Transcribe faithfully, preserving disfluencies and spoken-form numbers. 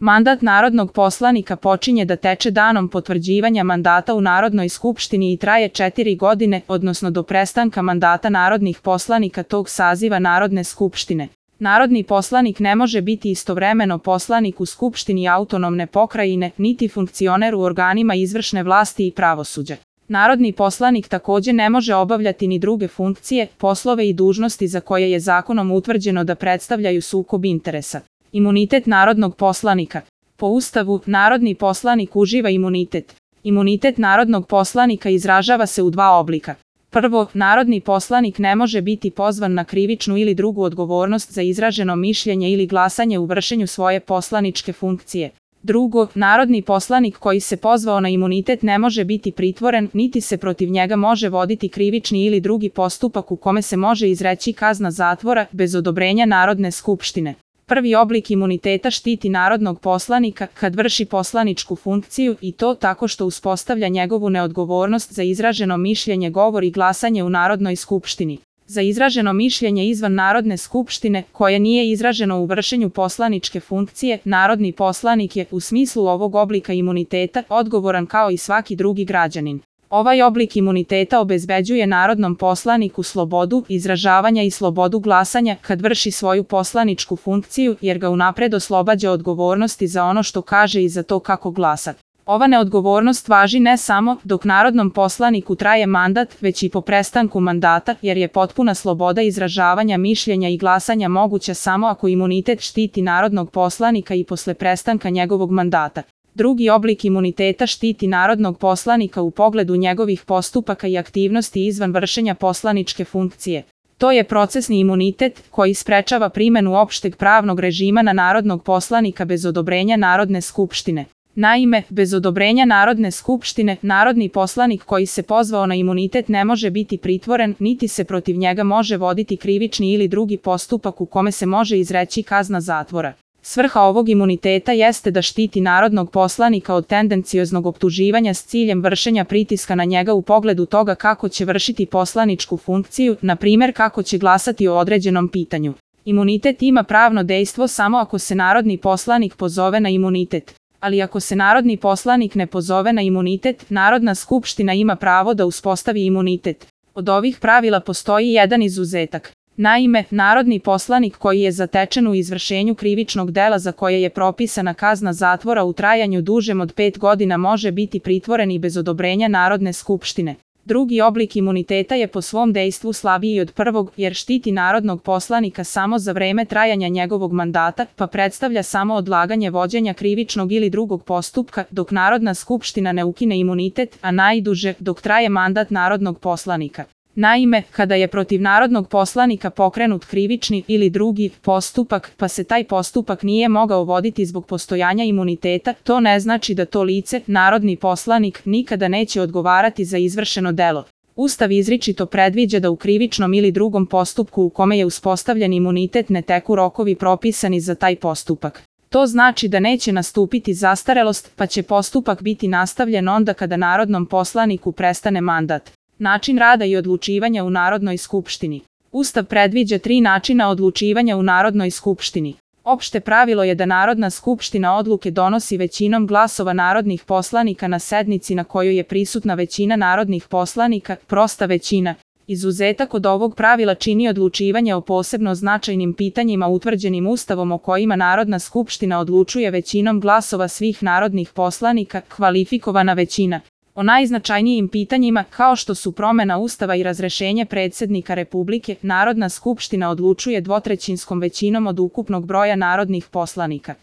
Mandat narodnog poslanika počinje da teče danom potvrđivanja mandata u Narodnoj skupštini i traje četiri godine, odnosno do prestanka mandata narodnih poslanika tog saziva Narodne skupštine. Narodni poslanik ne može biti istovremeno poslanik u Skupštini autonomne pokrajine, niti funkcioner u organima izvršne vlasti i pravosuđa. Narodni poslanik takođe ne može obavljati ni druge funkcije, poslove i dužnosti za koje je zakonom utvrđeno da predstavljaju sukob interesa. Imunitet narodnog poslanika. Po Ustavu, narodni poslanik uživa imunitet. Imunitet narodnog poslanika izražava se u dva oblika. Prvo, narodni poslanik ne može biti pozvan na krivičnu ili drugu odgovornost za izraženo mišljenje ili glasanje u vršenju svoje poslaničke funkcije. Drugo, narodni poslanik koji se pozvao na imunitet ne može biti pritvoren, niti se protiv njega može voditi krivični ili drugi postupak u kome se može izreći kazna zatvora bez odobrenja Narodne skupštine. Prvi oblik imuniteta štiti narodnog poslanika kad vrši poslaničku funkciju i to tako što uspostavlja njegovu neodgovornost za izraženo mišljenje, govor i glasanje u Narodnoj skupštini. Za izraženo mišljenje izvan Narodne skupštine, koje nije izraženo u vršenju poslaničke funkcije, narodni poslanik je, u smislu ovog oblika imuniteta, odgovoran kao i svaki drugi građanin. Ovaj oblik imuniteta obezbeđuje narodnom poslaniku slobodu izražavanja i slobodu glasanja kad vrši svoju poslaničku funkciju, jer ga unapred oslobađa odgovornosti za ono što kaže i za to kako glasa. Ova neodgovornost važi ne samo dok narodnom poslaniku traje mandat, već i po prestanku mandata, jer je potpuna sloboda izražavanja mišljenja i glasanja moguća samo ako imunitet štiti narodnog poslanika i posle prestanka njegovog mandata. Drugi oblik imuniteta štiti narodnog poslanika u pogledu njegovih postupaka i aktivnosti izvan vršenja poslaničke funkcije. To je procesni imunitet koji sprečava primenu opšteg pravnog režima na narodnog poslanika bez odobrenja Narodne skupštine. Naime, bez odobrenja Narodne skupštine, narodni poslanik koji se pozvao na imunitet ne može biti pritvoren, niti se protiv njega može voditi krivični ili drugi postupak u kome se može izreći kazna zatvora. Svrha ovog imuniteta jeste da štiti narodnog poslanika od tendencioznog optuživanja s ciljem vršenja pritiska na njega u pogledu toga kako će vršiti poslaničku funkciju, na primjer kako će glasati o određenom pitanju. Imunitet ima pravno dejstvo samo ako se narodni poslanik pozove na imunitet. Ali ako se narodni poslanik ne pozove na imunitet, Narodna skupština ima pravo da uspostavi imunitet. Od ovih pravila postoji jedan izuzetak. Naime, narodni poslanik koji je zatečen u izvršenju krivičnog dela za koje je propisana kazna zatvora u trajanju dužem od pet godina može biti pritvoren i bez odobrenja Narodne skupštine. Drugi oblik imuniteta je po svom dejstvu slabiji od prvog, jer štiti narodnog poslanika samo za vreme trajanja njegovog mandata, pa predstavlja samo odlaganje vođenja krivičnog ili drugog postupka, dok Narodna skupština ne ukine imunitet, a najduže dok traje mandat narodnog poslanika. Naime, kada je protiv narodnog poslanika pokrenut krivični ili drugi postupak, pa se taj postupak nije mogao voditi zbog postojanja imuniteta, to ne znači da to lice, narodni poslanik, nikada neće odgovarati za izvršeno delo. Ustav izričito predviđa da u krivičnom ili drugom postupku u kome je uspostavljen imunitet ne teku rokovi propisani za taj postupak. To znači da neće nastupiti zastarelost, pa će postupak biti nastavljen onda kada narodnom poslaniku prestane mandat. Način rada i odlučivanja u Narodnoj skupštini. Ustav predviđa tri načina odlučivanja u Narodnoj skupštini. Opšte pravilo je da Narodna skupština odluke donosi većinom glasova narodnih poslanika na sednici na kojoj je prisutna većina narodnih poslanika, prosta većina. Izuzetak od ovog pravila čini odlučivanje o posebno značajnim pitanjima utvrđenim Ustavom o kojima Narodna skupština odlučuje većinom glasova svih narodnih poslanika, kvalifikovana većina. O najznačajnijim pitanjima, kao što su promena Ustava i razrešenje predsjednika Republike, Narodna skupština odlučuje dvotrećinskom većinom od ukupnog broja narodnih poslanika.